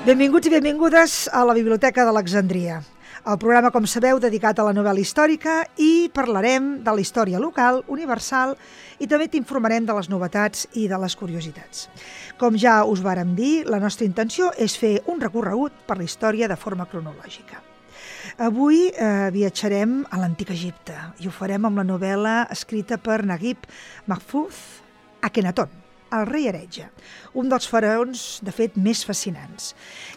Benvinguts i benvingudes a la Biblioteca d'Alexandria. El programa, com sabeu, dedicat a la novel·la històrica, i parlarem de la història local, universal, i també t'informarem de les novetats i de les curiositats. Com ja us vàrem dir, la nostra intenció és fer un recorregut per la història de forma cronològica. Avui viatjarem a l'Antic Egipte i ho farem amb la novel·la escrita per Naguib Mahfouz, Akhenaton, el rei heretge, un dels faraons, de fet, més fascinants.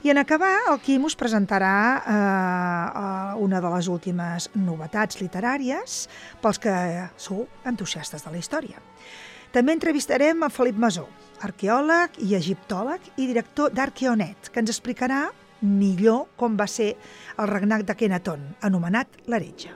I en acabar, el Quim us presentarà una de les últimes novetats literàries pels que sou entusiastes de la història. També entrevistarem a Felip Masó, arqueòleg i egiptòleg i director d'Arqueonet, que ens explicarà millor com va ser el regnat d'Akhenaton, anomenat l'heretge.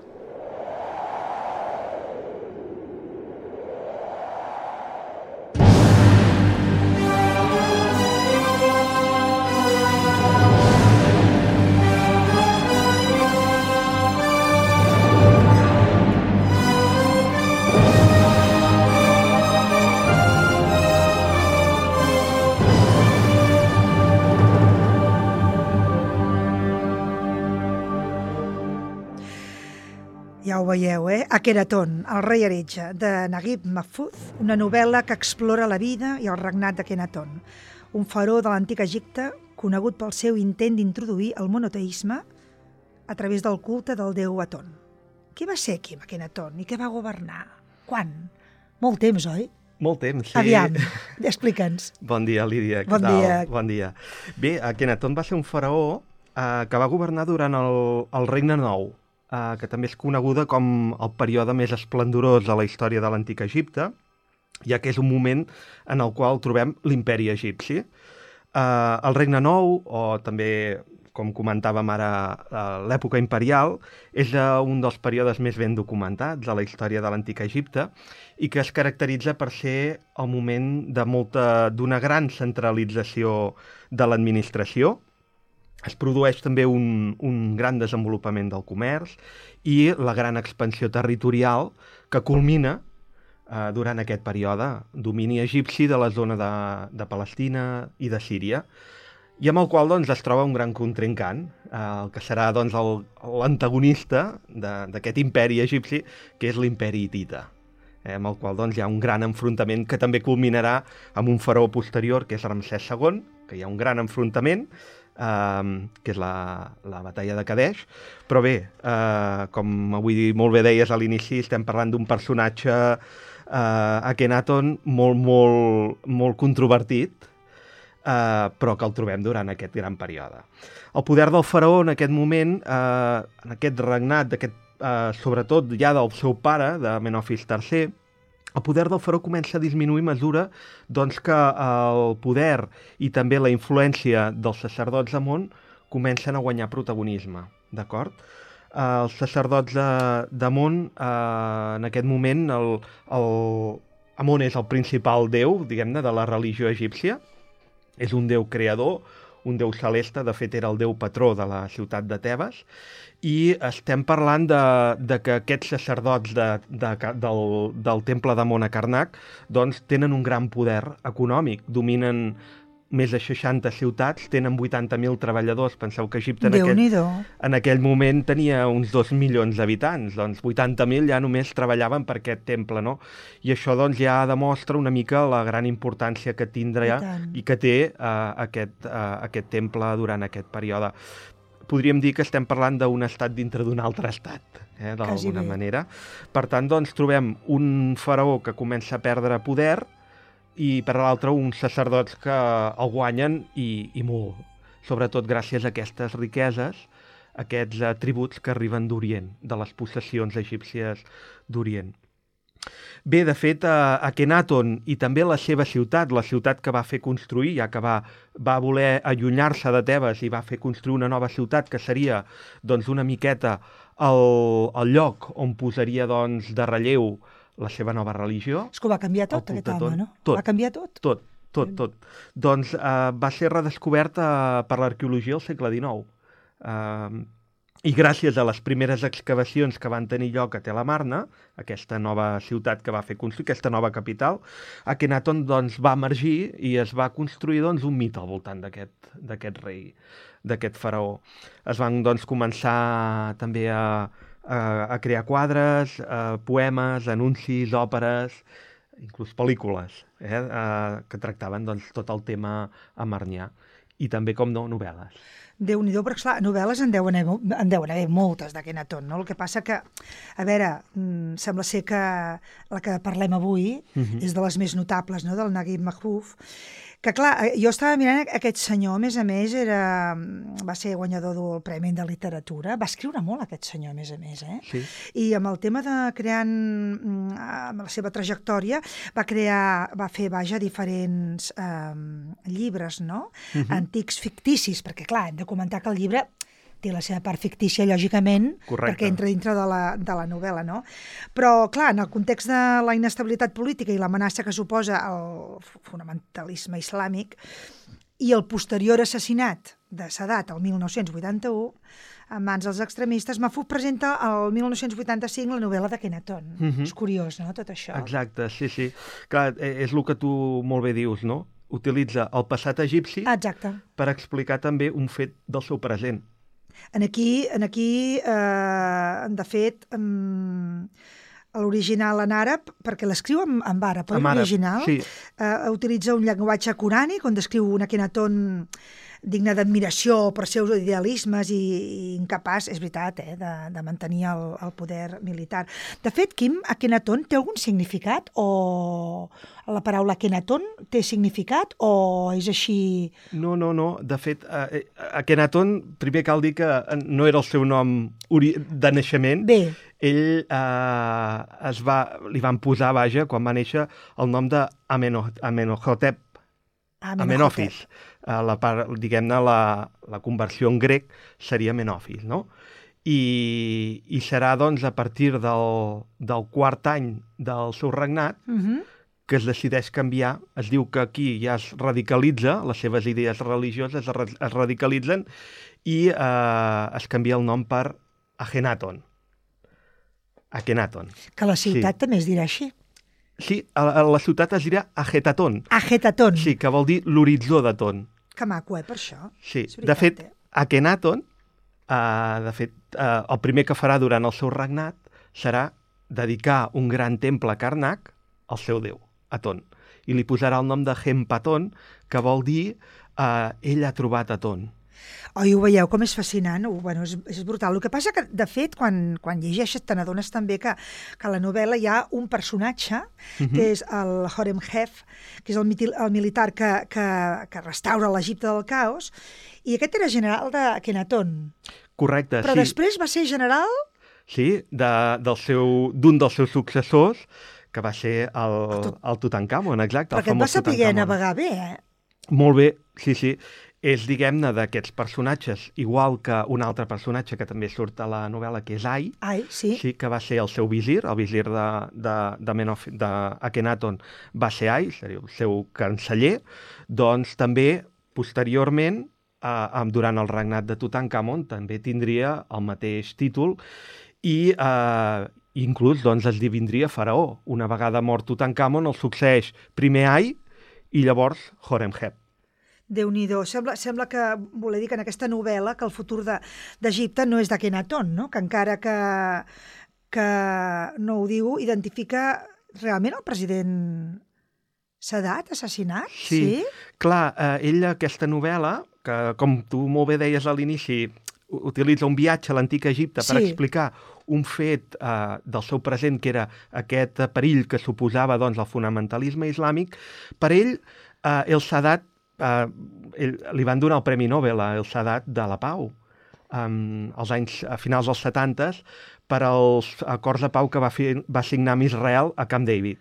Ja ho veieu, Akhenaton, el rei heretge, de Naguib Mahfouz, una novel·la que explora la vida i el regnat d'Akhenaton, un faraó de l'Antic Egipte conegut pel seu intent d'introduir el monoteisme a través del culte del déu Aton. Qui va ser Akhenaton i què va governar? Quan? Molt temps, oi? Molt temps, sí. Aviam, explica'ns. Bon dia, Lídia. Bon dia. Bon dia. Bé, Akhenaton va ser un faraó que va governar durant el Regne Nou, que també és coneguda com el període més esplendorós de la història de l'Antic Egipte, ja que és un moment en el qual trobem l'imperi egipci. El Regne Nou, o també, com comentàvem ara, l'època imperial, és un dels períodes més ben documentats de la història de l'Antic Egipte i que es caracteritza per ser el moment d'una gran centralització de l'administració. Es produeix també un gran desenvolupament del comerç i la gran expansió territorial que culmina durant aquest període, domini egipci de la zona de Palestina i de Síria, i amb el qual es troba un gran contrincant, el que serà l'antagonista d'aquest imperi egipci, que és l'imperi hitita, amb el qual hi ha un gran enfrontament que també culminarà amb un faraó posterior, que és Ramsès II, que hi ha un gran enfrontament, que és la batalla de Kadesh, però bé, com avui molt bé deies a l'inici, estem parlant d'un personatge, Akhenaton, molt controvertit, però que el trobem durant aquest gran període. El poder del faraó en aquest moment, en aquest regnat, sobretot ja del seu pare, de Menofis III, el poder del faraó comença a disminuir a mesura que el poder i també la influència dels sacerdots d'Amon comencen a guanyar protagonisme, d'acord? Els sacerdots d'Amon, en aquest moment, Amon és el principal déu, diguem-ne, de la religió egípcia, és un déu creador, un déu celeste, de fet era el déu patró de la ciutat de Tebes, i estem parlant de que aquests sacerdots del temple d'Amon a Karnak tenen un gran poder econòmic, dominen més de 60 ciutats, tenen 80.000 treballadors. Penseu que Egipte en aquell moment tenia uns 2 milions d'habitants, 80.000 ja només treballaven per aquest temple, no? I això ja demostra una mica la gran importància que tindrà i que té aquest temple durant aquest període. Podríem dir que estem parlant d'un estat dintre d'un altre estat, d'alguna manera. Per tant, trobem un faraó que comença a perdre poder i, per l'altre, uns sacerdots que el guanyen i molt, sobretot gràcies a aquestes riqueses, aquests tributs que arriben d'Orient, de les possessions egípcies d'Orient. Bé, de fet, Akhenaton i també la seva ciutat, la ciutat que va fer construir, ja que va voler allunyar-se de Tebes i va fer construir una nova ciutat, que seria una miqueta el lloc on posaria de relleu la seva nova religió. És que ho va canviar tot, aquest home, no? Tot. Va canviar tot? Tot. Va ser redescobert per l'arqueologia al segle XIX. I gràcies a les primeres excavacions que van tenir lloc a Tel Amarna, aquesta nova ciutat que va fer construir, aquesta nova capital, Akhenaton doncs, va emergir i es va construir doncs, un mite al voltant d'aquest rei, d'aquest faraó. Es van doncs, començar també a crear quadres, poemes, anuncis, òperes, inclús pel·lícules, que tractaven doncs, tot el tema amarnià. I també, com no, novel·les. Déu-n'hi-do, perquè clar, novel·les en deuen haver moltes d'Akhenaton, no? El que passa que, a veure, sembla ser que la que parlem avui és de les més notables, no?, del Naguib Mahfouz, que clar, jo estava mirant aquest senyor, a més, va ser guanyador del Premi de Literatura, va escriure molt aquest senyor, a més, Sí. I amb el tema de creant, amb la seva trajectòria, va fer diferents llibres, no?, antics ficticis, perquè clar, hem de comentar que el llibre té la seva part fictícia, lògicament, Correcte. perquè entra dintre de la novel·la, no? Però, clar, en el context de la inestabilitat política i l'amenaça que suposa el fonamentalisme islàmic i el posterior assassinat de Sadat el 1981, en mans dels extremistes, Mahfouz presenta el 1985 la novel·la d'Akhenaton. És curiós, no?, tot això. Exacte, sí. Clar, és el que tu molt bé dius, no? Utilitza el passat egipci per explicar també un fet del seu present. Aquí, de fet, l'original en àrab, perquè l'escriu en àrab, l'original, sí. Utilitza un llenguatge corànic on descriu un Akhenaton digne d'admiració per seus idealismes i incapaç, és veritat, de mantenir el poder militar. De fet, Quim, Akhenaton té algun significat? O la paraula Akhenaton té significat o és així? No. De fet, Akhenaton, primer cal dir que no era el seu nom de naixement. Bé. Ell li van posar, quan va néixer, el nom d'Amenhotep. Amenofis. Diguem-ne, la conversió en grec seria Menofis, no? I serà, doncs, a partir del quart any del seu regnat que es decideix canviar. Es diu que aquí ja es radicalitza, les seves idees religioses es radicalitzen i es canvia el nom per Akhenaton. Que la ciutat també es dirà així. Sí, a la ciutat es dirà Agetaton. Agetaton. Sí, que vol dir l'horitzó de Ton. Que maco, per això. Sí, de fet, Akhenaton, el primer que farà durant el seu regnat serà dedicar un gran temple a Karnak al seu déu, Aton. I li posarà el nom de Hempaton, que vol dir ell ha trobat Aton. Oi, ho veieu com és fascinant? Bueno, és brutal. El que passa que, de fet, quan llegeixes te n'adones també que a la novel·la hi ha un personatge, que és el Horemheb, que és el militar que restaura l'Egipte del caos, i aquest era general d'Akhenaton. Correcte, Però després va ser general? Sí, d'un dels seus successors, que va ser el Tutankamon, exacte. Perquè et va saber navegar bé, Molt bé, sí. És, diguem-ne, d'aquests personatges, igual que un altre personatge que també surt a la novel·la, que és Ai, sí, que va ser el seu visir, el visir d'Akhenaton va ser Ai, seria el seu canceller, doncs també, posteriorment, durant el regnat de Tutankamon, també tindria el mateix títol i inclús doncs, esdevindria faraó. Una vegada mort Tutankamon, el succeeix primer Ai i llavors Horemheb. Déu-n'hi-do. Sembla que voler dir que en aquesta novel·la que el futur d'Egipte no és d'Akhenaton, no? Que encara que no ho diu, identifica realment el president Sadat, assassinat? Sí. Clar, ell, aquesta novel·la, que com tu molt bé deies a l'inici, utilitza un viatge a l'antic Egipte per explicar un fet del seu present, que era aquest perill que suposava doncs, el fonamentalisme islàmic. Per ell, el Sadat, li van donar el Premi Nobel a el Sadat de la Pau a finals dels 70 per als acords de pau que va signar amb Israel a Camp David.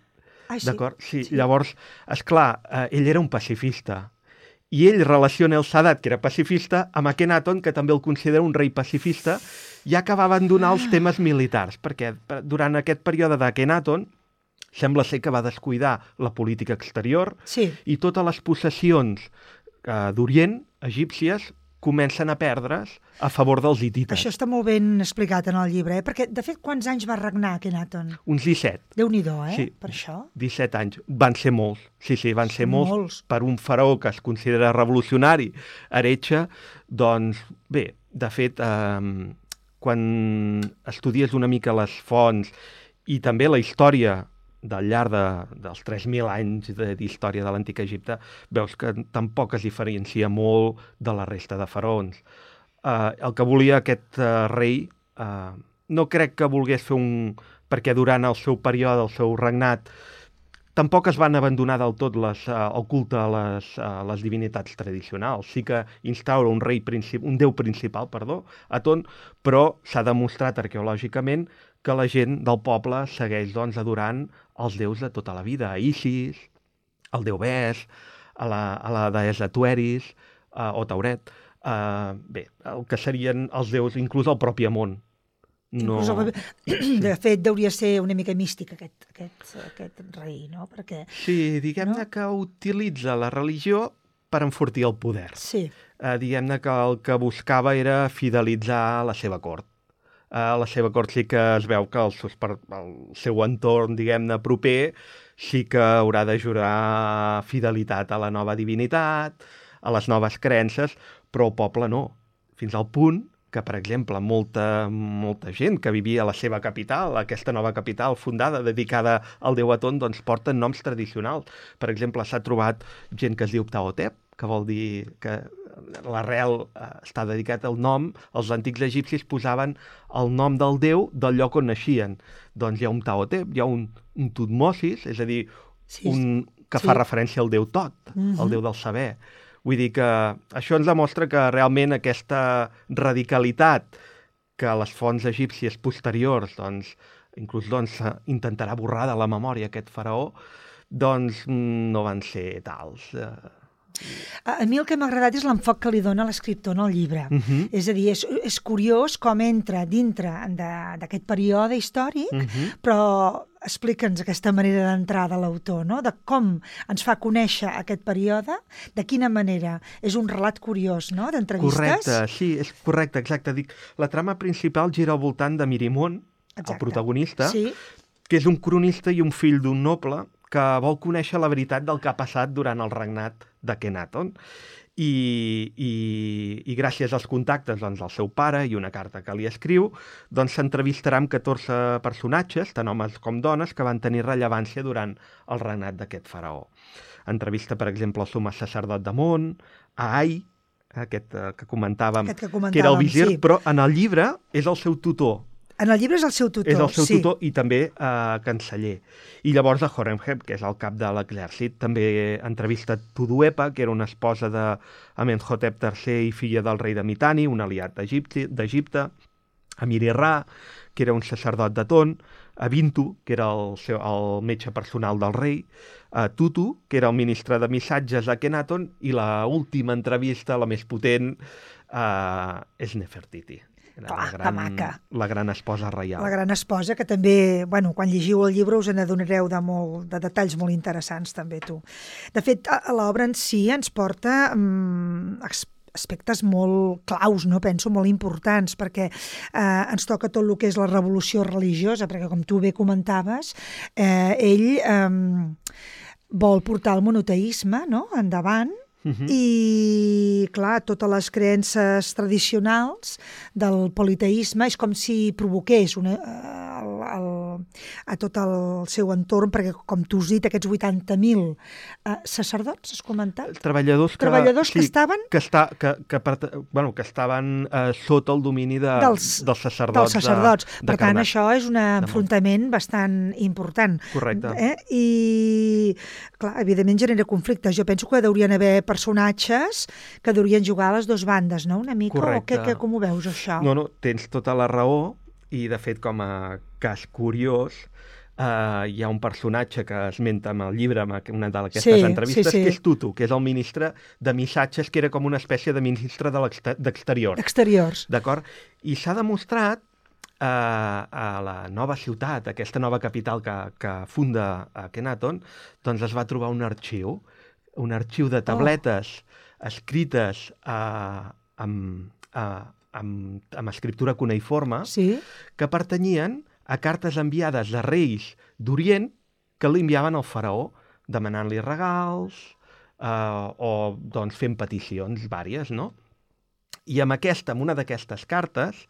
D'acord? Sí. Llavors, esclar, ell era un pacifista i ell relaciona el Sadat, que era pacifista, amb Akhenaton, que també el considera un rei pacifista, ja que va abandonar els temes militars, perquè durant aquest període d'Akhenaton sembla ser que va descuidar la política exterior i totes les possessions d'Orient, egípcies, comencen a perdre's a favor dels hitites. Això està molt ben explicat en el llibre, perquè, de fet, quants anys va regnar Akhenaton? Uns 17. Déu-n'hi-do, Sí, per això. 17 anys. Van ser molts. Sí, van ser molts. Per un faraó que es considera revolucionari, heretge, doncs, bé, de fet, quan estudies una mica les fonts i també la història del llarg dels 3.000 anys d'història de l'Antic Egipte, veus que tampoc es diferencia molt de la resta de faraons. El que volia aquest rei, no crec que volgués fer perquè durant el seu període, el seu regnat, tampoc es van abandonar del tot el culte a les divinitats tradicionals. Sí que instaura un déu principal, Aton, però s'ha demostrat arqueològicament que la gent del poble segueix adorant els déus de tota la vida, a Isis, al déu Bes, a la deessa Tueris o Tauret. Bé, el que serien els déus, inclús el propi Amon. No... De fet, deuria ser una mica místic aquest rei, no? Perquè, sí, diguem-ne que utilitza la religió per enfortir el poder. Sí. Diguem-ne que el que buscava era fidelitzar la seva cort. A la seva cort sí que es veu que el seu entorn, diguem-ne, proper, sí que haurà de jurar fidelitat a la nova divinitat, a les noves creences, però el poble no. Fins al punt que, per exemple, molta gent que vivia a la seva capital, aquesta nova capital fundada, dedicada al déu Aton, doncs porten noms tradicionals. Per exemple, s'ha trobat gent que es diu Ptahotep, que vol dir que l'arrel està dedicat al nom. Els antics egipcis posaven el nom del déu del lloc on naixien. Doncs hi ha un Ptahotep, hi ha un Tutmosis, és a dir, que fa referència al déu Tot, el déu del saber. Vull dir que això ens demostra que realment aquesta radicalitat que les fonts egípcies posteriors, inclús intentarà borrar de la memòria aquest faraó, doncs no van ser tals. A mi el que m'ha agradat és l'enfoc que li dona l'escriptor en el llibre. És a dir, és curiós com entra dintre d'aquest període històric, però explica'ns aquesta manera d'entrar de l'autor, no? De com ens fa conèixer aquest període, de quina manera. És un relat curiós, no?, d'entrevistes. Correcte, sí, és correcte, exacte. Dic, la trama principal gira al voltant de Mirimon, el protagonista, que és un cronista i un fill d'un noble que vol conèixer la veritat del que ha passat durant el regnat d'Akhenaton. I gràcies als contactes del seu pare i una carta que li escriu, s'entrevistarà amb 14 personatges, tant homes com dones, que van tenir rellevància durant el regnat d'aquest faraó. Entrevista, per exemple, el summe sacerdot d'Amon, a Ai, aquest que comentàvem, que era el visir, però en el llibre és el seu tutor. En el llibre és el seu tutor, és el seu tutor i també canceller. I llavors a Horemheb, que és el cap de l'exèrcit, també entrevista Tuduepa, que era una esposa d'Amenhotep III i filla del rei de Mitanni, un aliat d'Egipte, a Mirirà, que era un sacerdot d'Aton, a Bintu, que era el metge personal del rei, a Tutu, que era el ministre de missatges d'Akhenaton, i l'última entrevista, la més potent, és Nefertiti. La gran esposa reial. La gran esposa, que també, quan llegiu el llibre us n'adonareu de detalls molt interessants, també, tu. De fet, l'obra en si ens porta aspectes molt claus, no? Penso, molt importants, perquè ens toca tot el que és la revolució religiosa, perquè, com tu bé comentaves, ell vol portar el monoteisme, no?, endavant, i, clar, totes les creences tradicionals del politeisme és com si provoqués a tot el seu entorn, perquè, com tu has dit, aquests 80.000 sacerdots, has comentat? Treballadors que estaven... Que estaven sota el domini dels sacerdots. Per tant, això és un enfrontament bastant important. Correcte. I, clar, evidentment genera conflictes. Jo penso que haurien haver personatges que haurien jugar a les dues bandes, no?, una mica. Correcte. O com ho veus, això? No, tens tota la raó, i, de fet, com a cas curiós, hi ha un personatge que esmenta en el llibre, en una d'aquestes entrevistes, que és Tutu, que és el ministre de missatges, que era com una espècie de ministre d'exteriors. D'exteriors. D'acord? I s'ha demostrat a la nova ciutat, aquesta nova capital que funda Akhenaton, doncs es va trobar un arxiu de tabletes escrites amb escriptura cuneiforme, Sí. que pertanyien a cartes enviades de reis d'Orient que li enviaven al faraó demanant-li regals o doncs, fent peticions vàries, no? I amb una d'aquestes cartes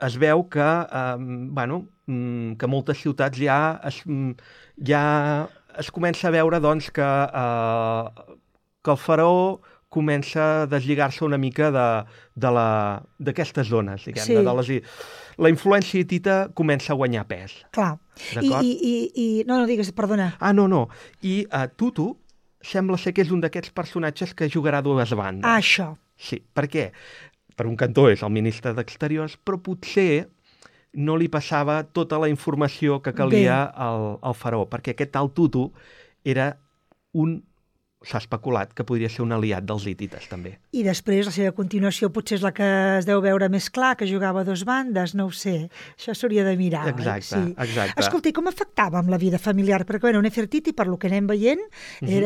es veu que, que moltes ciutats ja es comença a veure doncs, que el faraó comença a deslligar-se una mica d'aquestes zones, diguem, Sí. La influència hitita comença a guanyar pes. Clar. D'acord? No, digues, perdona. No. I Tutu sembla ser que és un d'aquests personatges que jugarà dues bandes. Això. Sí, per què? Per un cantó és el ministre d'Exteriors, però potser no li passava tota la informació que calia al faraó, perquè aquest tal Tutu era s'ha especulat que podria ser un aliat dels hitites, també. I després la seva continuació potser és la que es deu veure més clar, que jugava a dues bandes, no ho sé. Això s'hauria de mirar. Exacte, Sí. exacte. Escolta, i com afectava amb la vida familiar? Perquè, Nefertiti, per lo que anem veient,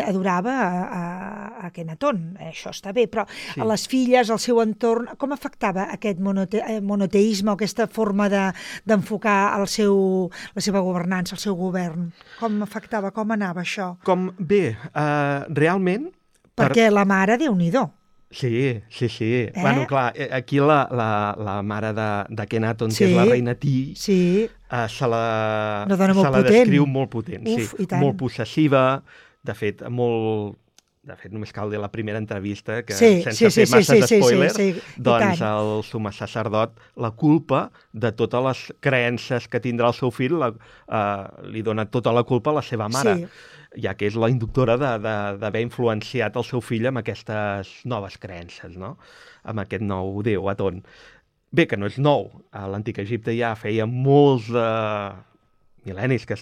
adorava a Akhenaton. Això està bé, però Sí. a les filles, al seu entorn, com afectava aquest monoteisme o aquesta forma d'enfocar la seva governança, el seu govern? Com afectava, com anava això? Realment... Perquè la mare, Déu-n'hi-do. Sí. Bueno, clar, aquí la mare d'Akhenaton, que és la reina Ti, se la descriu molt potent. Uf, i tant. Molt possessiva, de fet, només cal dir la primera entrevista, que sense fer masses spoilers, doncs el summe sacerdot la culpa de totes les creences que tindrà el seu fill, li dona tota la culpa a la seva mare, ja que és la inductora d'haver influenciat el seu fill amb aquestes noves creences, no? Amb aquest nou déu, Aton. Bé, que no és nou. A l'Antic Egipte ja feia molts mil·lennis que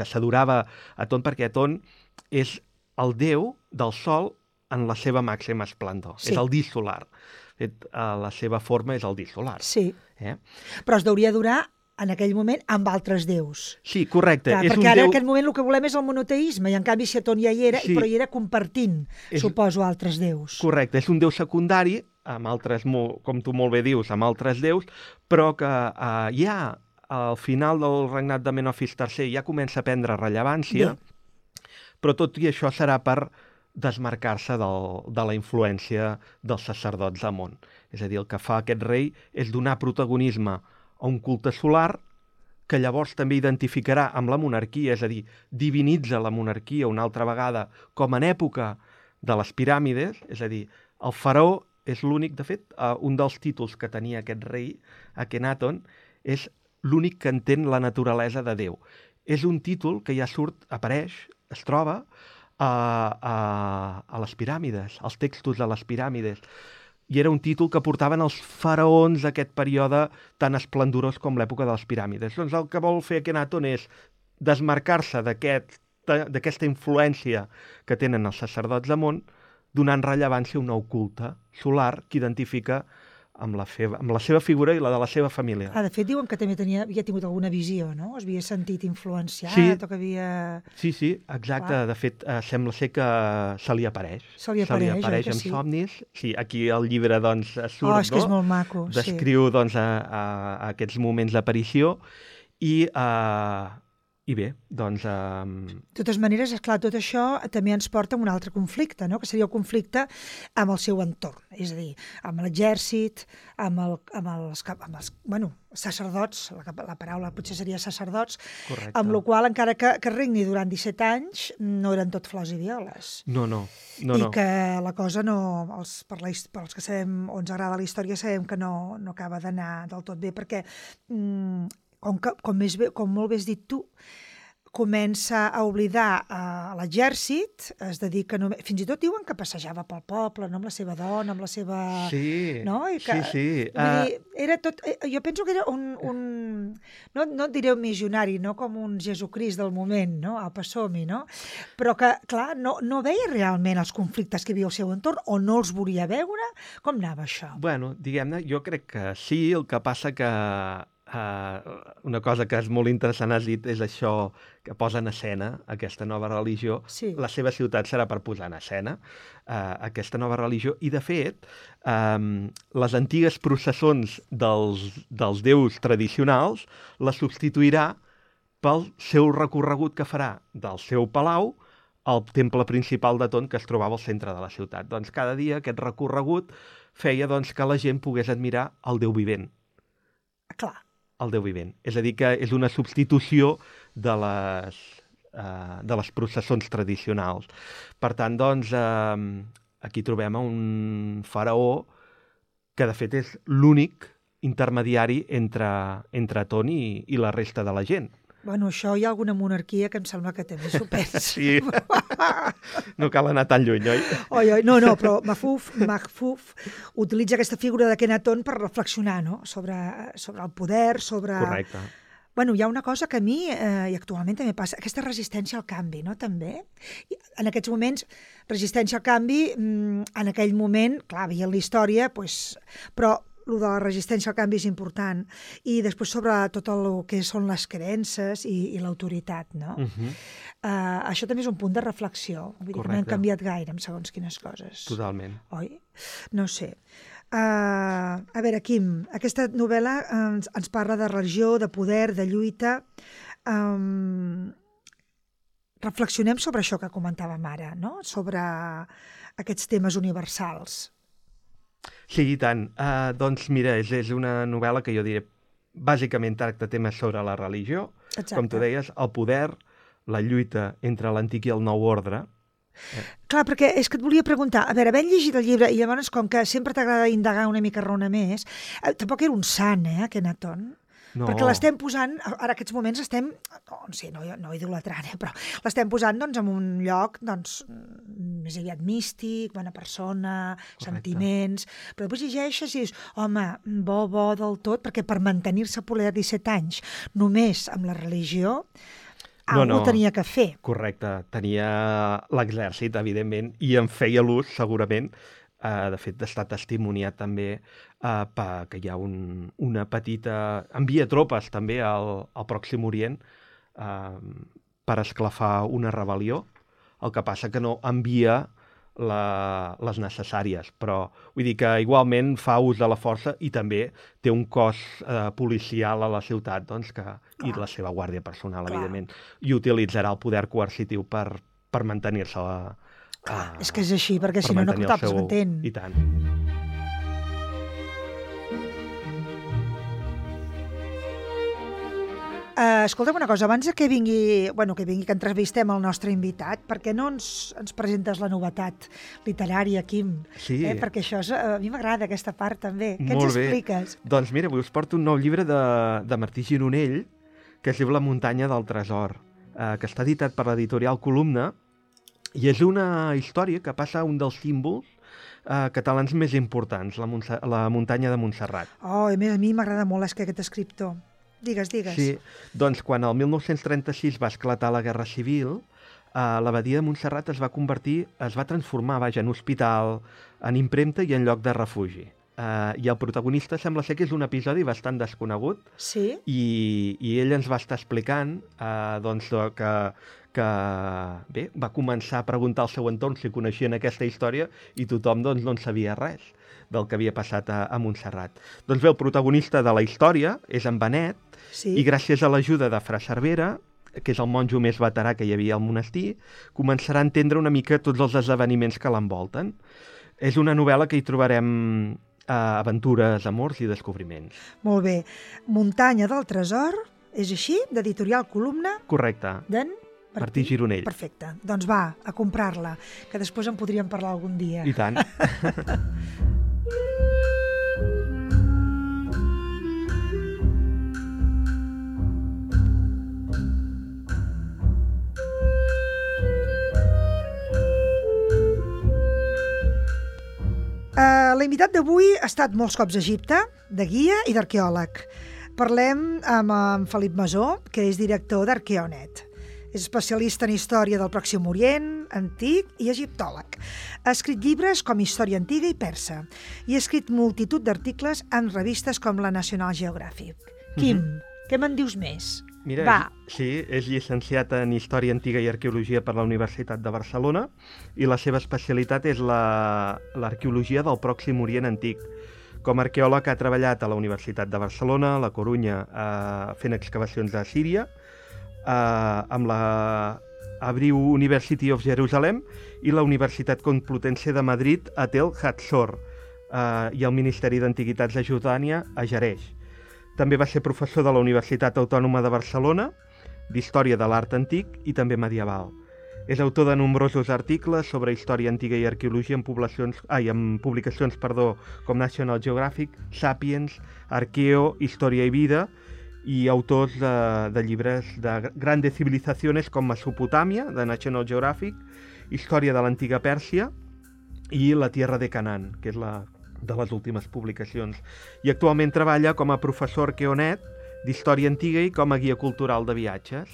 s'adorava Aton, perquè Aton és el déu del sol en la seva màxima esplendor. És el disc solar. La seva forma és el disc solar. Sí. Però es deuria adorar en aquell moment amb altres déus. Sí, correcte. Clar, perquè ara en aquest moment el que volem és el monoteisme, i en canvi si Aton ja hi era, però hi era compartint, suposo, altres déus. Correcte, és un déu secundari, amb altres, com tu molt bé dius, amb altres déus, però que ja al final del regnat de Menofis III ja comença a prendre rellevància, però tot i això serà per desmarcar-se de la influència dels sacerdots d'Amon. És a dir, el que fa aquest rei és donar protagonisme a un culte solar que llavors també identificarà amb la monarquia, és a dir, divinitza la monarquia una altra vegada com en època de les piràmides, és a dir, el faraó és l'únic, de fet, un dels títols que tenia aquest rei, Akhenaton, és l'únic que entén la naturalesa de Déu. És un títol que ja apareix, es troba a les piràmides, als textos de les piràmides, i era un títol que portaven els faraons d'aquest període tan esplendorós com l'època de les piràmides. Doncs el que vol fer Akhenaton és desmarcar-se d'aquesta influència que tenen els sacerdots d'Amon, donant rellevància a un nou culte solar que identifica amb la seva figura i la de la seva família. De fet, diuen que també havia tingut alguna visió, no? Es havia sentit influenciat o que havia... Sí, exacte. Clar. De fet, sembla ser que se li apareix. Se li apareix en somnis. Sí, aquí el llibre doncs surt, és que és molt maco. Descriu doncs aquests moments d'aparició i bé, doncs... De totes maneres, esclar, tot això també ens porta a un altre conflicte, no? Que seria el conflicte amb el seu entorn, és a dir, amb l'exèrcit, amb els sacerdots, la paraula potser seria sacerdots, correcte, amb la qual encara que regni durant 17 anys, no eren tot flors i violes. No. I que la cosa per als que sabem o ens agrada la història, sabem que no acaba d'anar del tot bé, perquè... Com molt bé has dit tu, comença a oblidar l'exèrcit, es dedica només... Fins i tot diuen que passejava pel poble, no? Amb la seva dona, amb la seva... Sí, no? sí. Vull dir, era tot... Jo penso que era no et diré un missionari, no com un Jesucrist del moment, no? Apa, som-hi, no? Però que, clar, no veia realment els conflictes que hi havia al seu entorn, o no els volia veure. Com anava això? Bueno, diguem-ne, jo crec que sí, el que passa que una cosa que és molt interessant, has dit, és això que posa en escena aquesta nova religió. Sí. La seva ciutat serà per posar en escena aquesta nova religió. I, de fet, les antigues processons dels déus tradicionals la substituirà pel seu recorregut que farà del seu palau al temple principal de Ton, que es trobava al centre de la ciutat. Doncs cada dia aquest recorregut feia doncs, que la gent pogués admirar el Déu vivent. Clar. El Déu vivent. És a dir, que és una substitució de les processons tradicionals. Per tant, doncs, aquí trobem un faraó que, de fet, és l'únic intermediari entre Ton i la resta de la gent. Bueno, això hi ha alguna monarquia que em sembla que també s'ho pensa. Sí, no cal anar tan lluny, oi? Oi, no, però Mahfouz utilitza aquesta figura d'Akhenaton per reflexionar, no? sobre el poder, sobre... Correcte. Bueno, hi ha una cosa que a mi, i actualment també passa, aquesta resistència al canvi, no?, també. En aquests moments, resistència al canvi, en aquell moment, clar, veient la història, doncs, però el de la resistència al canvi és important. I després sobre tot el que són les creences i l'autoritat, no? Això també és un punt de reflexió. Vull dir que no hem canviat gaire en segons quines coses. Totalment. Oi? No sé. A veure, Quim, aquesta novel·la ens parla de religió, de poder, de lluita. Reflexionem sobre això que comentàvem ara, no? Sobre aquests temes universals. Sí, i tant. Doncs mira, és una novel·la que jo diré bàsicament tracta temes sobre la religió. Exacte. Com tu deies, el poder, la lluita entre l'antic i el nou ordre. Clar, perquè és que et volia preguntar, a veure, havent llegit el llibre i llavors com que sempre t'agrada indagar una mica raona més, tampoc era un sant, Akhenaton? No. Perquè l'estem posant, ara aquests moments estem, no idolatrant, però l'estem posant doncs, en un lloc doncs, més aviat místic, bona persona, correcte, sentiments, però després llegeixes i dius, home, bo del tot, perquè per mantenir-se poder 17 anys només amb la religió, algú tenia que fer. Correcte, tenia l'exèrcit, evidentment, i en feia l'ús, segurament. De fet, està testimoniat també que hi ha una petita... Envia tropes també al Pròxim Orient per esclafar una rebel·lió. El que passa que no envia les necessàries, però vull dir que igualment fa ús de la força i també té un cos policial a la ciutat, doncs, i la seva guàrdia personal, evidentment, i utilitzarà el poder coercitiu per mantenir-se és que és així, perquè si no tothom s'entén. I tant. Escolta'm una cosa, abans que vingui, que entrevistem el nostre invitat, per què no ens presentes la novetat literària, Quim? Sí. Perquè això a mi m'agrada, aquesta part també. Què ens expliques? Doncs mira, us porto un nou llibre de Martí Gironell, que es diu La muntanya del tresor, que està editat per l'editorial Columna, i és una història que passa a un dels símbols catalans més importants, la muntanya de Montserrat. A mi m'agrada molt aquest escriptor. Digues. Sí, doncs quan el 1936 va esclatar la Guerra Civil, l'abadia de Montserrat es va transformar, en hospital, en impremta i en lloc de refugi. I el protagonista sembla ser que és un episodi bastant desconegut. Sí. I ell ens va estar explicant que va començar a preguntar al seu entorn si coneixien aquesta història i tothom no en sabia res del que havia passat a Montserrat. Doncs bé, el protagonista de la història és en Benet, sí, i gràcies a l'ajuda de Fra Cervera, que és el monjo més veterà que hi havia al monestir, començarà a entendre una mica tots els esdeveniments que l'envolten. És una novel·la que hi trobarem aventures, amors i descobriments. Molt bé. Muntanya del tresor, és així? D'editorial Columna? Correcte. D'en Martí Gironell. Perfecte. Doncs va, a comprar-la, que després en podríem parlar algun dia. I tant. L'invitat d'avui ha estat molts cops a Egipte, de guia i d'arqueòleg. Parlem amb en Felip Masó, que és director d'Arqueonet. És especialista en història del Pròxim Orient, antic i egiptòleg. Ha escrit llibres com Història antiga i persa i ha escrit multitud d'articles en revistes com la National Geographic. Quim, què me'n dius més? Mira, Va. sí, és llicenciat en Història Antiga i Arqueologia per la Universitat de Barcelona i la seva especialitat és l'arqueologia del Pròxim Orient Antic. Com a arqueòleg ha treballat a la Universitat de Barcelona, a la Corunya, fent excavacions a Síria, amb la Abriu University of Jerusalem i la Universitat Complutense de Madrid a Tel Hatzor i el Ministeri d'Antiguitats de Jordània a Jerez. També va ser professor de la Universitat Autònoma de Barcelona, d'Història de l'Art Antic i també medieval. És autor de nombrosos articles sobre història antiga i arqueologia en publicacions com National Geographic, Sapiens, Arqueo, Història i Vida, i autors de llibres de Grandes Civilizaciones com Mesopotàmia, de National Geographic, Història de l'Antiga Pèrsia i La Tierra de Canaan, que és de les últimes publicacions. I actualment treballa com a professor arqueonet d'Història Antiga i com a guia cultural de viatges.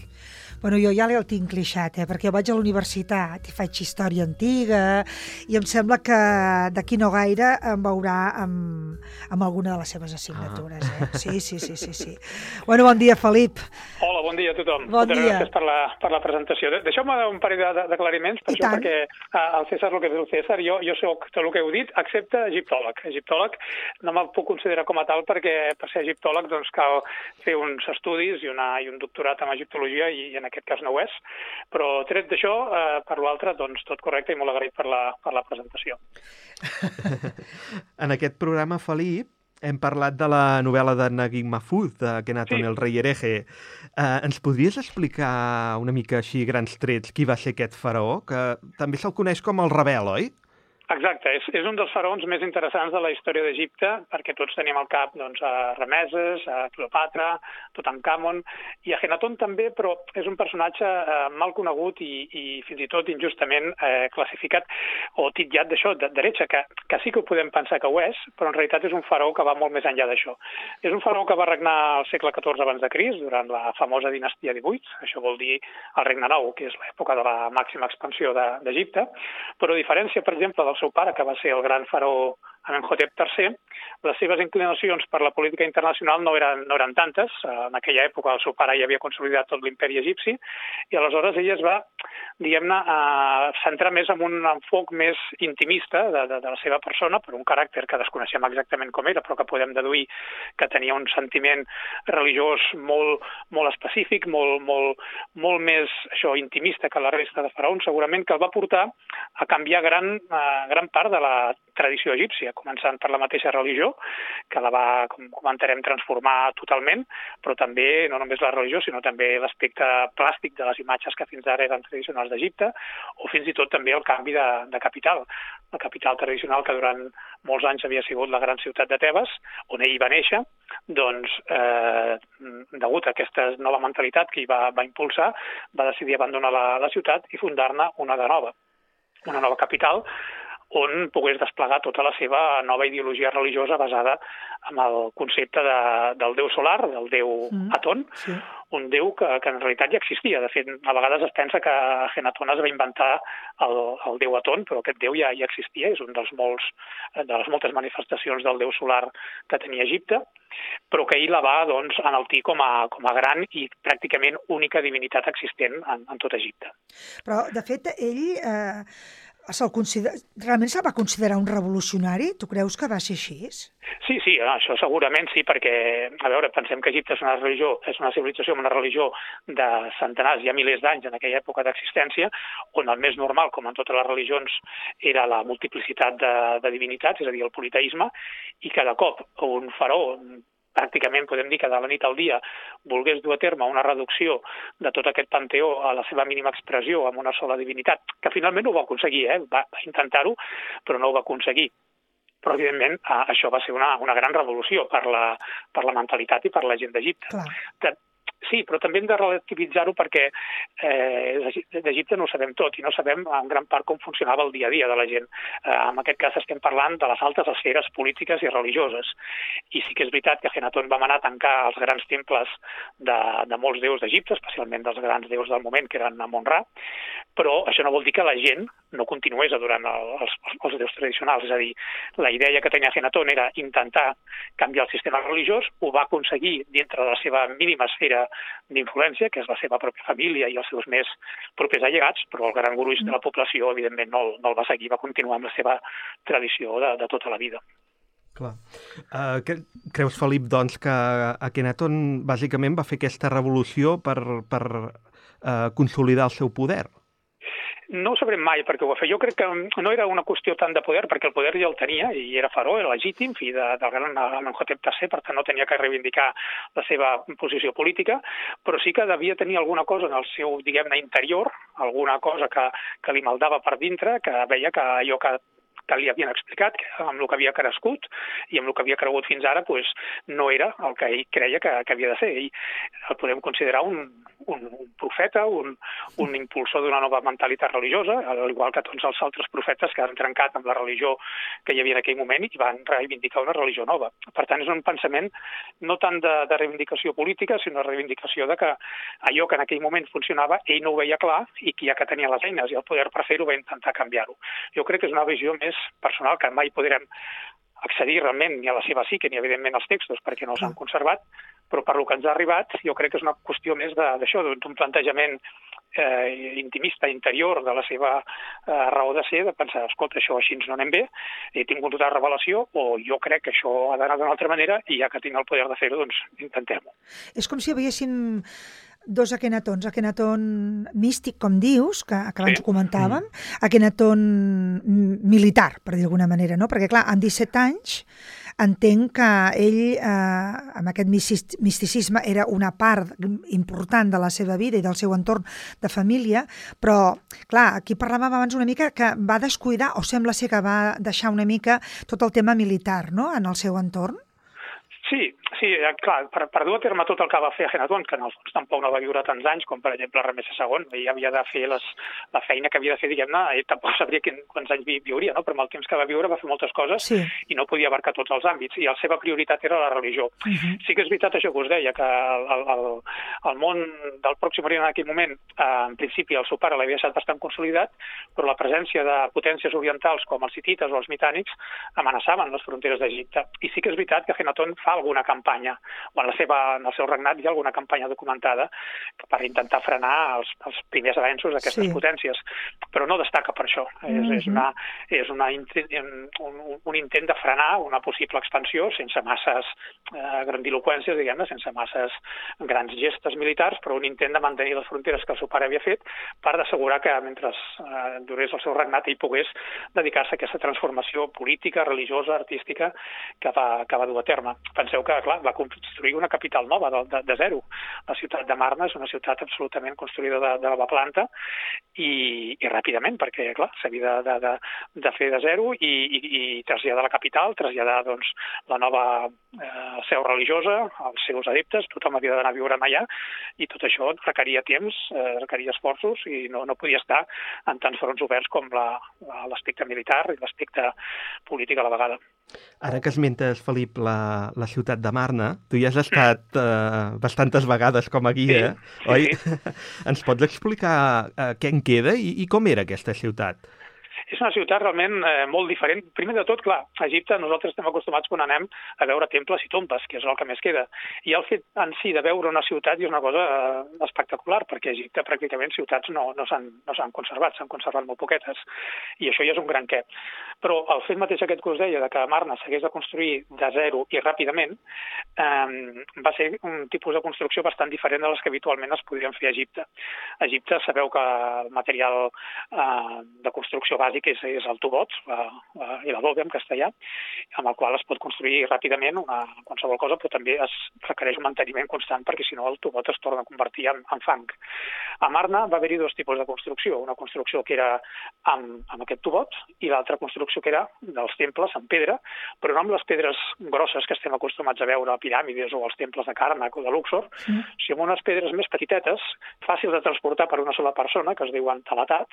Bueno, jo ja el tinc clixat, perquè vaig a la universitat i faig història antiga i em sembla que d'aquí no gaire em veurà amb alguna de les seves assignatures. Sí. Bueno, bon dia, Felip. Hola, bon dia a tothom. Bon dia. Gràcies per la presentació. Deixeu-me un parell d'aclariments, perquè al César el que és el César, jo soc tot el que heu dit, excepte egiptòleg. Egiptòleg no me'l puc considerar com a tal perquè per ser egiptòleg doncs cal fer uns estudis i un doctorat en egiptologia i en aquest cas no ho és, però tret d'això, per l'altre, doncs tot correcte i molt agraït per la presentació. En aquest programa, Felip, hem parlat de la novel·la de Naguib Mahfouz, de Akhenaton el rei hereje. Ens podries explicar una mica així, grans trets, qui va ser aquest faraó, que també se'l coneix com el rebel, oi? Exacte, és un dels faraons més interessants de la història d'Egipte, perquè tots tenim al cap a Rameses, a Cleopatra, Tutankamon, i Akhenaton també, però és un personatge mal conegut i fins i tot injustament classificat o titllat d'això, d'heretge, que sí que ho podem pensar que ho és, però en realitat és un faraó que va molt més enllà d'això. És un faraó que va regnar al segle XIV abans de Crist, durant la famosa dinastia 18, això vol dir el Regne Nou, que és l'època de la màxima expansió d'Egipte, però a diferència, per exemple, del seu pare, que va ser el gran faraó Amenhotep III, les seves inclinacions per la política internacional no eren tantes. En aquella època el seu pare ja havia consolidat tot l'imperi egipci i aleshores ella es va, diguem-ne, centrar més en un enfoc més intimista de la seva persona, per un caràcter que desconeixem exactament com era, però que podem deduir que tenia un sentiment religiós molt específic, molt més intimista que la resta de faraons, segurament que el va portar a canviar gran part de la tradició egípcia, començant per la mateixa religió, que la va, com comentarem, transformar totalment, però també, no només la religió, sinó també l'aspecte plàstic de les imatges que fins ara eren tradicionals d'Egipte, o fins i tot també el canvi de capital. La capital tradicional, que durant molts anys havia sigut la gran ciutat de Tebes, on ell va néixer, doncs, degut a aquesta nova mentalitat que ell va impulsar, va decidir abandonar la ciutat i fundar-ne una nova capital, on pogués desplegar tota la seva nova ideologia religiosa basada en el concepte del déu solar, del déu Aton, un déu que en realitat ja existia. De fet, a vegades es pensa que Akhenaton es va inventar el déu Aton, però aquest déu ja existia, és un de les moltes manifestacions del déu solar que tenia Egipte, però que ell la va enaltir com a gran i pràcticament única divinitat existent en tot Egipte. Però, de fet, ell realment se'l va considerar un revolucionari? Tu creus que va ser així? Sí, això segurament sí, perquè, a veure, pensem que Egipte és una civilització amb una religió de centenars, ja milers d'anys en aquella època d'existència, on el més normal, com en totes les religions, era la multiplicitat de divinitats, és a dir, el politeisme, i cada cop un faraó, pràcticament podem dir que de la nit al dia volgués dur a terme una reducció de tot aquest panteó a la seva mínima expressió amb una sola divinitat, que finalment no ho va aconseguir, va intentar-ho, però no ho va aconseguir. Però, evidentment, això va ser una gran revolució per la mentalitat i per la gent d'Egipte. Sí, però també hem de relativitzar-ho perquè d'Egipte no ho sabem tot i no sabem en gran part com funcionava el dia a dia de la gent. En aquest cas estem parlant de les altes esferes polítiques i religioses. I sí que és veritat que Akhenaton va manar a tancar els grans temples de molts déus d'Egipte, especialment dels grans déus del moment, que eren Amon-Ra, però això no vol dir que la gent no continués adorant els déus tradicionals. És a dir, la idea que tenia Akhenaton era intentar canviar el sistema religiós, ho va aconseguir dintre de la seva mínima esfera d'influència, que és la seva pròpia família i els seus més propers allegats, però el gran gruix de la població, evidentment, no el va seguir, va continuar amb la seva tradició de tota la vida. Clar. Creus, Felip, doncs, que Akhenaton bàsicament va fer aquesta revolució per consolidar el seu poder? No ho sabrem mai perquè ho va fer. Jo crec que no era una qüestió tant de poder, perquè el poder ja el tenia i era faraó, era legítim, fill del gran Amenhotep III, per tant no tenia que reivindicar la seva posició política, però sí que devia tenir alguna cosa en el seu, diguem-ne, interior, alguna cosa que li maldava per dintre, que veia que allò que li havien explicat, que amb el que havia crescut i amb el que havia cregut fins ara, doncs, no era el que ell creia que havia de ser. Ell el podem considerar un profeta, un impulsor d'una nova mentalitat religiosa, al igual que tots els altres profetes que han trencat amb la religió que hi havia en aquell moment i van reivindicar una religió nova. Per tant, és un pensament no tant de reivindicació política, sinó de reivindicació de que allò que en aquell moment funcionava, ell no ho veia clar i que ja que tenia les eines i el poder per fer-ho va intentar canviar-ho. Jo crec que és una visió més personal, que mai podrem accedir realment ni a la seva psique ni evidentment als textos perquè no s'han conservat, però per lo que ens ha arribat jo crec que és una qüestió més d'això, d'un plantejament intimista, interior de la seva raó de ser, de pensar, escolta, això així no anem bé, he tingut una revelació o jo crec que això ha d'anar d'una altra manera i ja que tinc el poder de fer-ho, doncs intentem-ho. És com si hi haguessin dos Akhenatons, Akhenaton místic, com dius, que abans ho comentàvem, Akhenaton militar, per dir d'alguna manera, no? Perquè, clar, amb 17 anys entenc que ell, amb aquest misticisme, era una part important de la seva vida i del seu entorn de família, però, clar, aquí parlàvem abans una mica que va descuidar, o sembla ser que va deixar una mica tot el tema militar, no?, en el seu entorn. Sí, clar, per dur a terme tot el que va fer Akhenaton, que en el fons tampoc no va viure tants anys, com per exemple Ramsès II, ell havia de fer la feina que havia de fer, diguem-ne, ell tampoc sabria quants anys viuria, no? Però amb el temps que va viure va fer moltes coses i no podia abarcar tots els àmbits, i la seva prioritat era la religió. Sí que és veritat això que us deia, que el món del Pròxim Orient en aquell moment, en principi el seu pare l'havia deixat bastant consolidat, però la presència de potències orientals com els hitites o els mitànics amenaçaven les fronteres d'Egipte. I sí que és veritat que Akhenaton fa alguna campanya, o en el seu regnat hi ha alguna campanya documentada per intentar frenar els primers avenços d'aquestes potències, però no destaca per això. És un intent de frenar una possible expansió sense masses grandiloqüències, diguem-ne, sense masses grans gestes militars, però un intent de mantenir les fronteres que el seu pare havia fet per assegurar que mentre durés el seu regnat ell pogués dedicar-se a aquesta transformació política, religiosa, artística que va dur a terme. Penseu que, clar, va construir una capital nova de zero. La ciutat de Marna és una ciutat absolutament construïda de nova planta i ràpidament, perquè, clar, s'havia de fer de zero i traslladar la capital, traslladar, doncs, la nova seu religiosa, els seus adeptes, tothom havia d'anar a viure allà i tot això requeria temps, requeria esforços i no podia estar en tants fronts oberts com l'aspecte militar i l'aspecte polític a la vegada. Ara que esmentes, Felip, la ciutat de Marna, tu hi has estat bastantes vegades com a guia, oi? Ens pots explicar què en queda i com era aquesta ciutat? És una ciutat realment molt diferent. Primer de tot, clar, a Egipte nosaltres estem acostumats quan anem a veure temples i tombes, que és el que més queda. I el fet en si de veure una ciutat és una cosa espectacular, perquè a Egipte pràcticament ciutats no s'han conservat, s'han conservat molt poquetes. I això ja és un gran què. Però el fet mateix aquest que us deia, de que Marna s'hagués de construir de zero i ràpidament, va ser un tipus de construcció bastant diferent de les que habitualment es podrien fer a Egipte. A Egipte sabeu que el material de construcció bàsic bàsic és el tubot, i la dobe en castellà, amb el qual es pot construir ràpidament qualsevol cosa, però també es requereix un manteniment constant perquè si no el tubot es torna a convertir en fang. A Marna va haver-hi dos tipus de construcció, una construcció que era amb aquest tubot i l'altra construcció que era dels temples en pedra, però no amb les pedres grosses que estem acostumats a veure a piràmides o als temples de Karnak o de Luxor, sinó amb unes pedres més petitetes, fàcils de transportar per una sola persona, que es diuen talatat,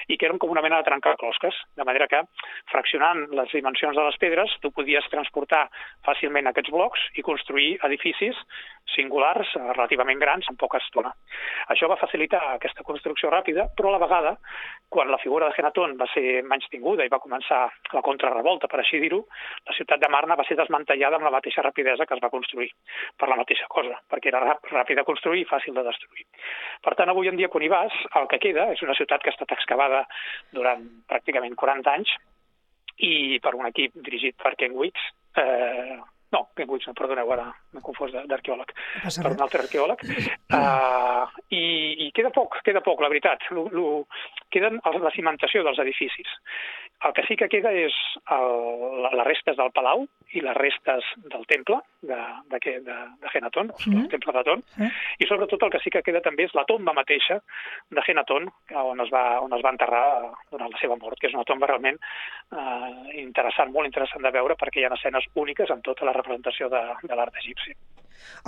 i que eren com una mena de trencaclosques, de manera que, fraccionant les dimensions de les pedres, tu podies transportar fàcilment aquests blocs i construir edificis singulars relativament grans en poca estona. Això va facilitar aquesta construcció ràpida, però a la vegada, quan la figura de Akhenaton va ser menystinguda i va començar la contrarrevolta, per així dir-ho, la ciutat de Marna va ser desmantellada amb la mateixa rapidesa que es va construir, per la mateixa cosa, perquè era ràpid de construir i fàcil de destruir. Per tant, avui en dia, quan hi vas, el que queda és una ciutat que ha estat excavada durant pràcticament 40 anys i per un equip dirigit per Ken Wicks, Ken Wicks, perdoneu, ara m'he confós d'arqueòleg, per un altre arqueòleg, i queda poc, la veritat. Queden la cimentació dels edificis. El que sí que queda és les restes del palau i les restes del temple d'Akhenaton, el temple d'Aton, i sobretot el que sí que queda també és la tomba mateixa d'Akhenaton, on es va enterrar durant la seva mort, que és una tomba realment interessant, molt interessant de veure, perquè hi ha escenes úniques en tota la representació de l'art egipci.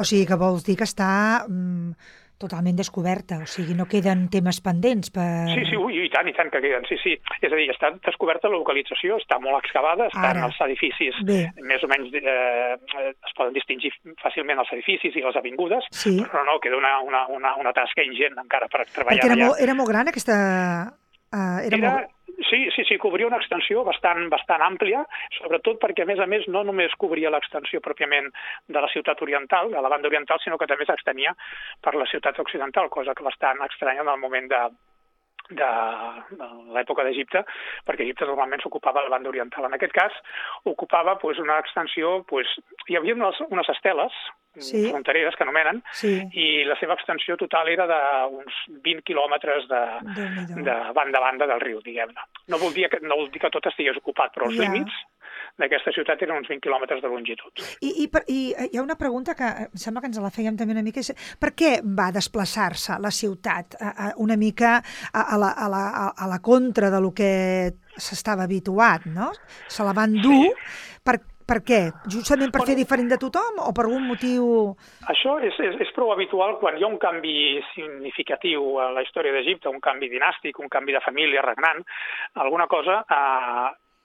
O sigui que vols dir que està totalment descoberta, o sigui, no queden temes pendents per... Sí, i tant que queden, sí. És a dir, està descoberta la localització, està molt excavada, estan els edificis, més o menys es poden distingir fàcilment els edificis i les avingudes, però no, queda una tasca ingent encara per treballar allà. Perquè era molt gran aquesta... Sí, cobria una extensió bastant àmplia, sobretot perquè, a més, no només cobria l'extensió pròpiament de la ciutat oriental, de la banda oriental, sinó que també s'extenia per la ciutat occidental, cosa que bastant estranya en el moment de l'època d'Egipte, perquè Egipte normalment s'ocupava de la banda oriental. En aquest cas, ocupava una extensió... Hi havia unes esteles frontereres, que anomenen, i la seva extensió total era d'uns 20 quilòmetres de banda a banda del riu, diguem-ne. No vol dir que tot estigués ocupat, però els límits d'aquesta ciutat eren uns 20 quilòmetres de longitud. I hi ha una pregunta que em sembla que ens la fèiem també una mica. Per què va desplaçar-se la ciutat una mica a la contra de lo que s'estava habituat, no? Se la van dur. Per què? Justament per fer diferent de tothom o per algun motiu... Això és prou habitual quan hi ha un canvi significatiu a la història d'Egipte, un canvi dinàstic, un canvi de família regnant, alguna cosa...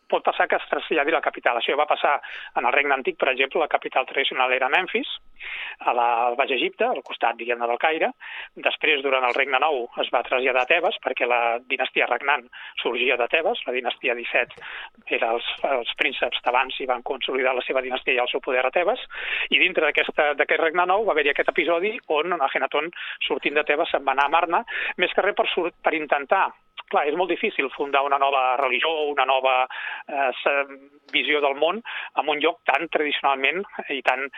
pot passar que es traslladi la capital. Això va passar en el regne antic, per exemple, la capital tradicional era Memfis, al Baix Egipte, al costat, diguem-ne, del Caire. Després, durant el regne nou, es va traslladar a Tebes, perquè la dinastia regnant sorgia de Tebes. La dinastia 17 era els prínceps tebans i van consolidar la seva dinastia i el seu poder a Tebes. I dintre d'aquest regne nou va haver-hi aquest episodi on Akhenaton, sortint de Tebes, se'n va anar a Marna, més que res per intentar... Clar, és molt difícil fundar una nova religió o una nova visió del món en un lloc tan tradicionalment i on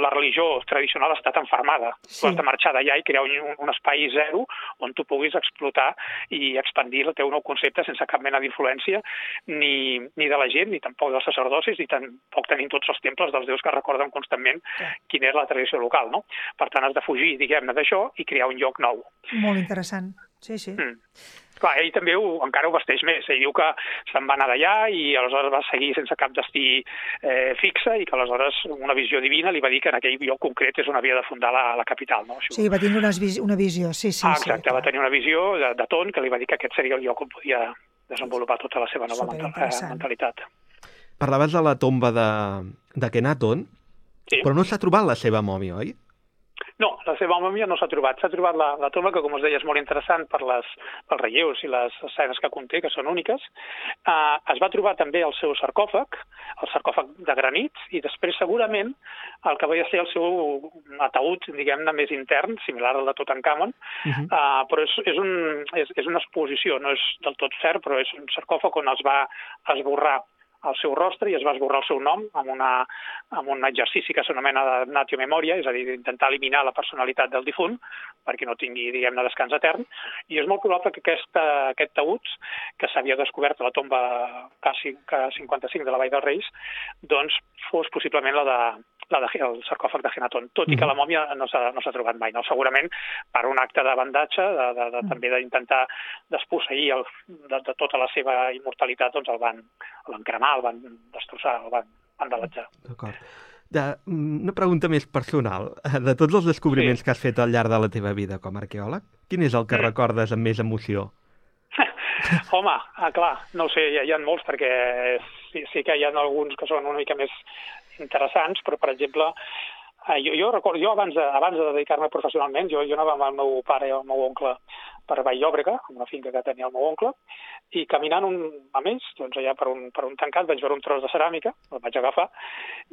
la religió tradicional està tan fermada. Tu has de marxar d'allà i crear un espai zero on tu puguis explotar i expandir el teu nou concepte sense cap mena d'influència ni de la gent, ni tampoc dels sacerdocis, ni tampoc tenim tots els temples dels déus que recorden constantment quina és la tradició local, no? Per tant, has de fugir, diguem-ne, d'això i crear un lloc nou. Molt interessant. Sí. Clar, ell també encara ho vesteix més. Ell diu que se'n va anar d'allà i aleshores va seguir sense cap destí fixe i que aleshores una visió divina li va dir que en aquell lloc concret és on havia de fundar la capital. No? Sí, va tindre una visió, sí. Exacte, va tenir una visió d'Aton que li va dir que aquest seria el lloc on podia desenvolupar tota la seva nova mentalitat. Parlaves de la tomba d'Akhenaton, però no s'ha trobat la seva mòmia, oi? No, la seva mòmia no s'ha trobat. S'ha trobat la tomba, que com us deia és molt interessant pels relleus i les escenes que conté, que són úniques. Es va trobar també el seu sarcòfag, el sarcòfag de granit, i després segurament el que va ser el seu ataúd, diguem-ne, més intern, similar al de Tutankamon, però és una exposició, no és del tot cert, però és un sarcòfag on es va esborrar el seu rostre i es va esborrar el seu nom amb un exercici que s'anomena damnatio memoria, és a dir, d'intentar eliminar la personalitat del difunt perquè no tingui, diguem-ne, descans etern. I és molt probable que aquest taüt, que s'havia descobert a la tomba K55 de la Vall dels Reis, doncs fos possiblement el sarcòfag d'Akhenaton, tot i que la mòmia no s'ha trobat mai. No? Segurament per un acte de bandatge, també d'intentar desposseir de tota la seva immortalitat, doncs el van cremar, el van destrossar, el van vandalitzar. D'acord. Una pregunta més personal. De tots els descobriments que has fet al llarg de la teva vida com a arqueòleg, quin és el que recordes amb més emoció? Home, clar, no ho sé, hi ha molts, perquè sí que hi ha alguns que són una mica més interessants, però, per exemple, jo recordo, abans de dedicar-me professionalment, jo anava amb el meu pare i el meu oncle per Vall-llobrega, una finca que tenia el meu oncle, i caminant a més, doncs allà per un tancat vaig veure un tros de ceràmica, el vaig agafar,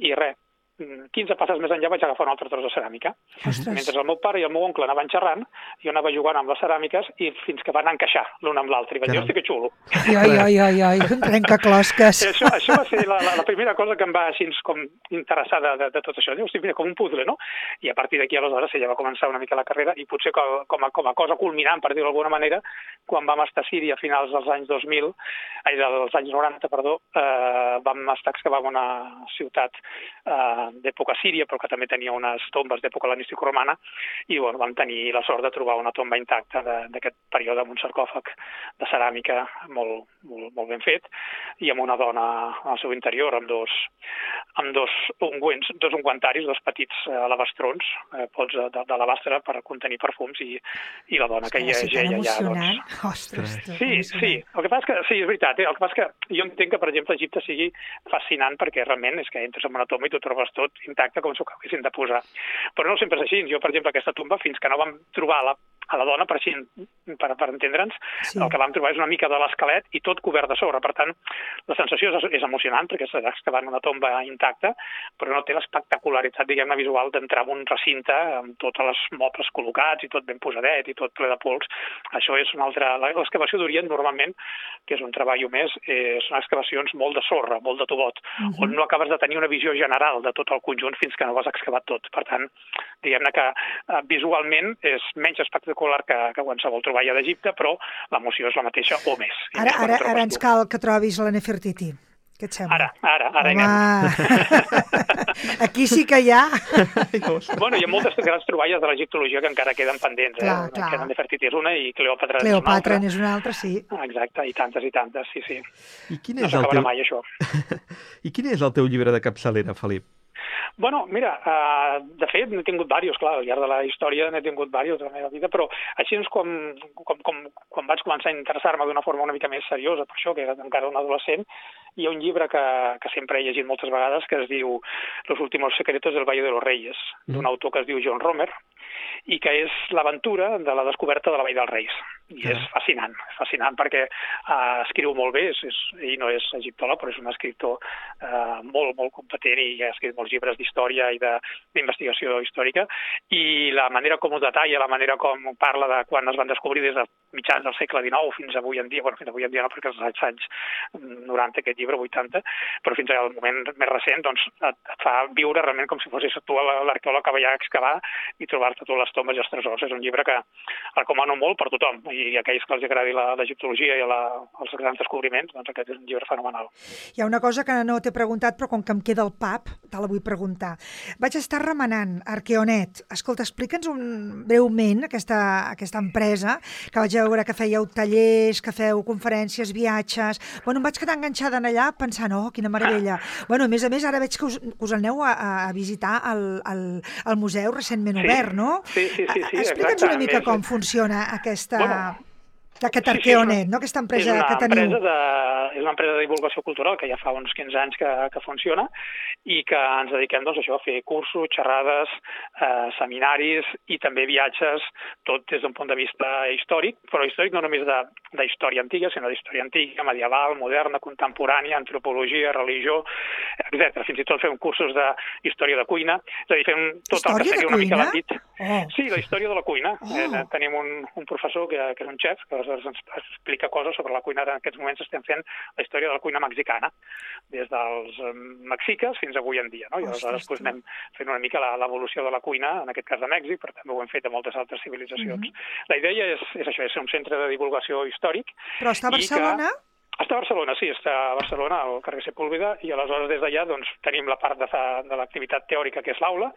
i res, 15 passes més enllà vaig agafar un altre tros de ceràmica. Ostres. Mentre el meu pare i el meu oncle anaven xerrant, jo anava jugant amb les ceràmiques i fins que van encaixar l'un amb l'altre. I vaig dir, hosti, que xulo. Ai, trencaclosques. Això va ser la primera cosa que em va així com interessar de tot això. Hosti, mira, com un puzzle, no? I a partir d'aquí, aleshores, ja va començar una mica la carrera i potser com a cosa culminant, per dir-ho d'alguna manera, quan vam estar a Síria a finals dels anys 90, vam estar excavant una ciutat d'època síria, però que també tenia unes tombes d'època hel·lenístico-romana, i vam tenir la sort de trobar una tomba intacta d'aquest període amb un sarcòfag de ceràmica molt ben fet, i amb una dona al seu interior amb dos ungüentaris, dos petits alabastrons, pots d'alabastre per contenir perfums, i la dona que hi geia allà. Ostres, sí. El que passa és que, sí, és veritat, el que passa és que jo entenc que, per exemple, Egipte sigui fascinant perquè realment és que entres en una tomba i t'ho trobes tot intacte com si ho haguessin de posar. Però no sempre és així. Jo, per exemple, aquesta tomba, fins que no vam trobar a la dona, per entendre'ns, sí. El que vam trobar és una mica de l'esquelet i tot cobert de sorra. Per tant, la sensació és emocionant perquè s'ha excavat una tomba intacta, però no té l'espectacularitat, diguem-ne, visual d'entrar en un recinte amb tots els mobles col·locats i tot ben posadet i tot ple de pols. Això és una altra... L'excavació d'Orient, normalment, que és un treball més, són excavacions molt de sorra, molt de tubot, on no acabes de tenir una visió general de tot el conjunt fins que no ho has excavat tot. Per tant, diguem-ne que visualment és menys espectacular que qualsevol troballa d'Egipte, però l'emoció és la mateixa o més. Ara ens cal que trobis la Nefertiti. Què et sembla? Ara hi anem. Aquí sí que hi ha. Bueno, hi ha moltes grans troballes de l'egiptologia que encara queden pendents. Clar. Nefertiti és una i Cleòpatra és una altra, sí. Exacte, i tantes, sí. I quin és el teu... mai, això. I quin és el teu llibre de capçalera, Felip? Bueno, mira, de fet n'he tingut diversos, clar, al llarg de la història n'he tingut diversos de la meva vida, però així és quan vaig començar a interessar-me d'una forma una mica més seriosa, per això, que era encara un adolescent, hi ha un llibre que sempre he llegit moltes vegades que es diu Los últimos secretos del Valle de los Reyes, d'un autor que es diu John Romer, i que és l'aventura de la descoberta de la Vall dels Reis. I és fascinant perquè escriu molt bé, ell no és egiptòleg, però és un escriptor molt competent i ha escrit molts llibres d'història i d'investigació històrica, i la manera com ho detalla, la manera com parla de quan es van descobrir des de mitjans del segle XIX fins avui en dia, fins avui en dia no, perquè els anys 90, aquest llibre, 80, però fins al moment més recent, doncs et fa viure realment com si fossis tu l'arqueòleg que va excavar i trobar-te totes les tombes i els tresors. És un llibre que recomano molt per tothom, i aquells que els agradi l'egiptologia i els grans descobriments, doncs aquest és un llibre fenomenal. Hi ha una cosa que no t'he preguntat, però com que em queda el pap, te la vull preguntar. Vaig estar remenant Arqueonet. Escolta, explica'ns breument aquesta empresa, que vaig veure que fèieu tallers, que feu conferències, viatges... Bueno, em vaig quedar enganxada en allà pensant, oh, quina meravella. Bueno, a més, ara veig que us aneu a visitar el museu recentment obert, no? Sí, explica'ns una mica com funciona aquest Arqueonet, no? Aquesta empresa que teniu. És una empresa de divulgació cultural que ja fa uns 15 anys que funciona i que ens dediquem doncs, a fer cursos, xerrades, seminaris i també viatges, tot des d'un punt de vista històric, però històric no només d'història antiga, sinó d'història antiga, medieval, moderna, contemporània, antropologia, religió, etc. Fins i tot fem cursos d'història de cuina, és a dir, fem tot el que seria una mica l'àmbit. Sí, la història de la cuina. Tenim un professor que és un xef, que aleshores ens explica coses sobre la cuina. En aquests moments estem fent la història de la cuina mexicana, des dels mexiques fins avui en dia, no? I aleshores anem fent una mica l'evolució de la cuina, en aquest cas de Mèxic, però també ho hem fet a moltes altres civilitzacions. La idea és això, és ser un centre de divulgació històric. Però està a Barcelona? Està a Barcelona, sí, està a Barcelona, al carrer Sepúlveda, i aleshores des d'allà tenim la part de l'activitat teòrica, que és l'aula,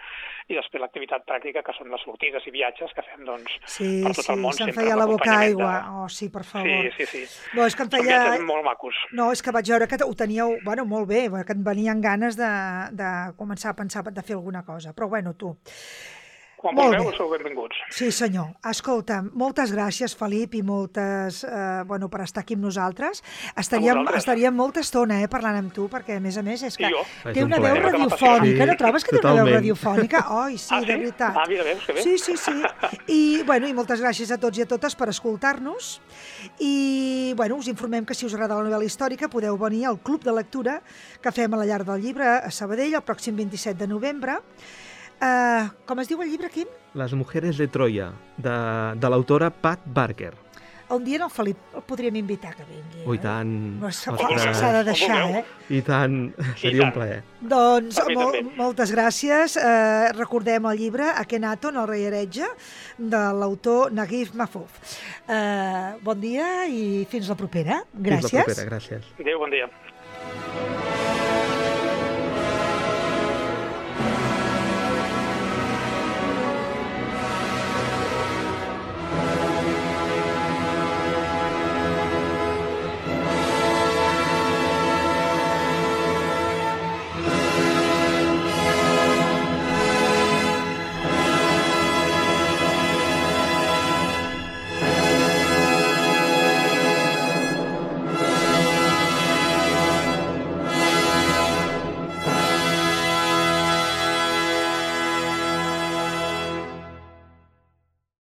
i després l'activitat pràctica, que són les sortides i viatges que fem per tot el món. Sí, se'm feia la boca aigua. Sí, per favor. Sí. No, és que em feia... Són viatges molt macos. No, és que vaig veure que ho teníeu, molt bé, que et venien ganes de començar a pensar de fer alguna cosa. Però tu... Quan vulgueu, sou benvinguts. Sí, senyor. Escolta, moltes gràcies, Felip, i moltes, per estar aquí amb nosaltres. Estaríem molta estona, parlant amb tu, perquè, a més, és que té una veu radiofònica. No trobes que té una veu radiofònica? Sí, de veritat. Mira, veus, que bé. Sí. I moltes gràcies a tots i a totes per escoltar-nos. I, us informem que si us agrada la novel·la històrica podeu venir al Club de Lectura que fem a la Llar del Llibre a Sabadell el pròxim 27 de novembre. Com es diu el llibre, Quim? Les mujeres de Troia, de l'autora Pat Barker. Un dia el Felip el podríem invitar que vingui. I tant. S'ha de deixar, I tant, seria un plaer. Doncs moltes gràcies. Recordem el llibre Akhenaton, el rei heretge, de l'autor Naguib Mahfouz. Bon dia i fins la propera. Gràcies. Fins la propera, gràcies. Adéu, bon dia.